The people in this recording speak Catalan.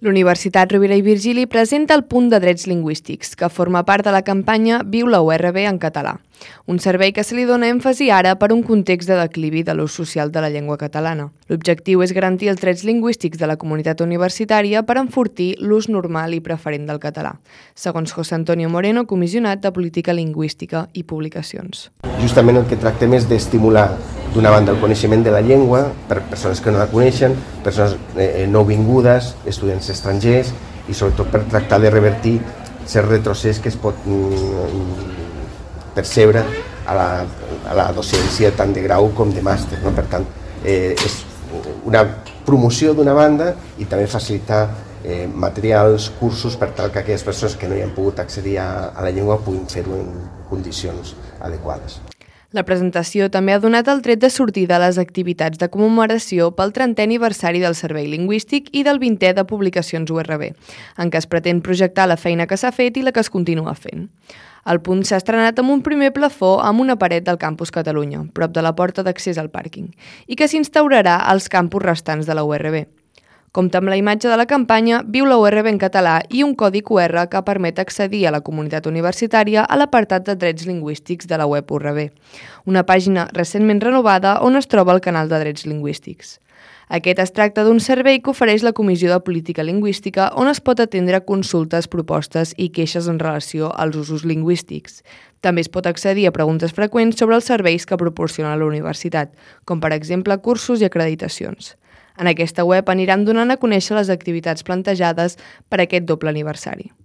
L'Universitat Rovira i Virgili presenta el Punt de Drets Lingüístics, que forma part de la campanya Viu la URB en català, un servei que se li dona èmfasi ara per un context de declivi de l'ús social de la llengua catalana. L'objectiu és garantir els drets lingüístics de la comunitat universitària per enfortir l'ús normal i preferent del català, segons José Antonio Moreno, comissionat de Política Lingüística i Publicacions. Justament el que tractem és d'estimular d'una banda el coneixement de la llengua per persones que no la coneixen, persones nouvingudes, estudiants estrangers i sobretot per tractar de revertir cert retrocés que es pot percebre a la docència tant de grau com de màster. Per tant, és una promoció d'una banda i també facilitar materials, cursos per tal que aquelles persones que no hi han pogut accedir a la llengua puguin fer-ho en condicions adequades. La presentació també ha donat el tret de sortida a les activitats de commemoració pel 30è aniversari del Servei Lingüístic i del 20è de Publicacions URB, en què es pretén projectar la feina que s'ha fet i la que es continua fent. El punt s'ha estrenat amb un primer plafó amb una paret del Campus Catalunya, prop de la porta d'accés al pàrquing, i que s'instaurarà als campus restants de la URB. Compta amb la imatge de la campanya Viu la URB en català i un codi QR que permet accedir a la comunitat universitària a l'apartat de drets lingüístics de la web URB, una pàgina recentment renovada on es troba el canal de drets lingüístics. Aquest es tracta d'un servei que ofereix la Comissió de Política Lingüística on es pot atendre consultes, propostes i queixes en relació als usos lingüístics. També es pot accedir a preguntes freqüents sobre els serveis que proporciona la universitat, com per exemple cursos i acreditacions. En aquesta web aniran donant a conèixer les activitats plantejades per aquest doble aniversari.